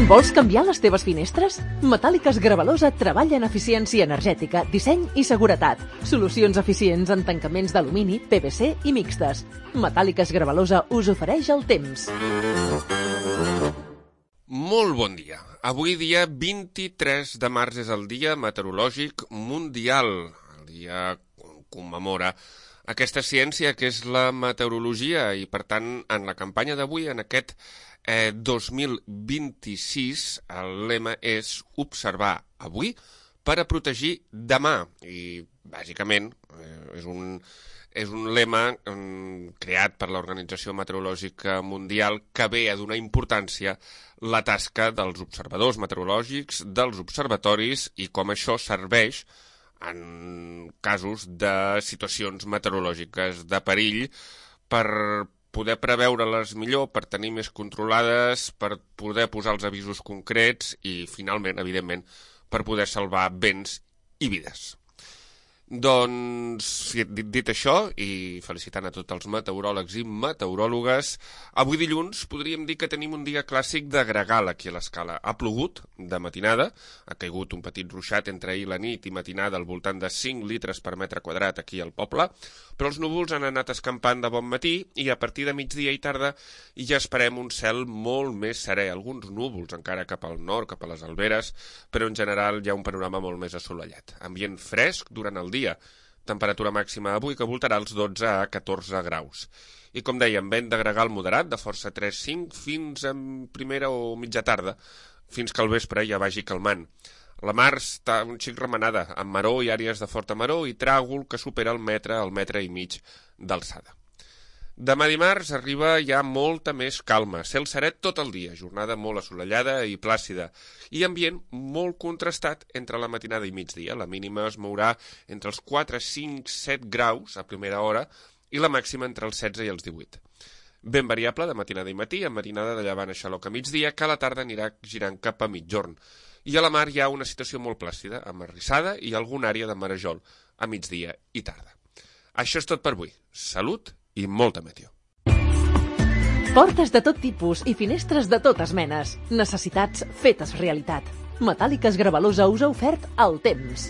Vols canviar les teves finestres? Metàl·liques Gravalosa treballa en eficiència energètica, disseny i seguretat. Solucions eficients en tancaments d'alumini, PVC i mixtes. Metàl·liques Gravalosa us ofereix el temps. Molt bon dia. Avui dia 23 de març és el Dia Meteorològic Mundial. El dia commemora aquesta ciència que és la meteorologia i, per tant, en la campanya d'avui, en aquest 2026, el lema és observar avui per a protegir demà. I, bàsicament, és un lema creat per l'Organització Meteorològica Mundial que ve a donar importància la tasca dels observadors meteorològics, dels observatoris i com això serveix en casos de situacions meteorològiques de perill per poder preveure-les millor, per tenir més controlades, per poder posar els avisos concrets i, finalment, evidentment, per poder salvar béns i vides. Doncs, dit això, i felicitant a tots els meteoròlegs i meteoròlogues, avui dilluns podríem dir que tenim un dia clàssic de gregal aquí a l'Escala. Ha plogut de matinada, ha caigut un petit ruixat entre ahir la nit i matinada al voltant de 5 litres per metre quadrat aquí al poble, però els núvols han anat escampant de bon matí i a partir de migdia i tarda ja esperem un cel molt més serè. Alguns núvols encara cap al nord, cap a les Alberes, però en general hi ha un panorama molt més assolellat. Ambient fresc durant el dia. Temperatura màxima avui que voltarà els 12 a 14 graus. I com dèiem, vent de gregal moderat, de força 3-5, fins a primera o mitja tarda, fins que al vespre ja vagi calmant. La mar està un xic remenada, amb maró i àrees de forta maró i tràgol que supera el metre i mig d'alçada. Demà dimarts arriba ja molta més calma, cel serè tot el dia, jornada molt assolellada i plàcida, i ambient molt contrastat entre la matinada i migdia. La mínima es mourà entre els 4, 5, 7 graus a primera hora i la màxima entre els 16 i els 18. Ben variable de matinada i matí, amb marinada de llevant a xaloc a migdia, que a la tarda anirà girant cap a mitjorn. I a la mar hi ha una situació molt plàcida, amb arrissada i alguna àrea de marejol a migdia i tarda. Això és tot per avui. Salut i molta meteo. Portes de tot tipus i finestres de totes menes. Necessitats fetes realitat. Metàl·liques Gravalosa us ha ofert el temps.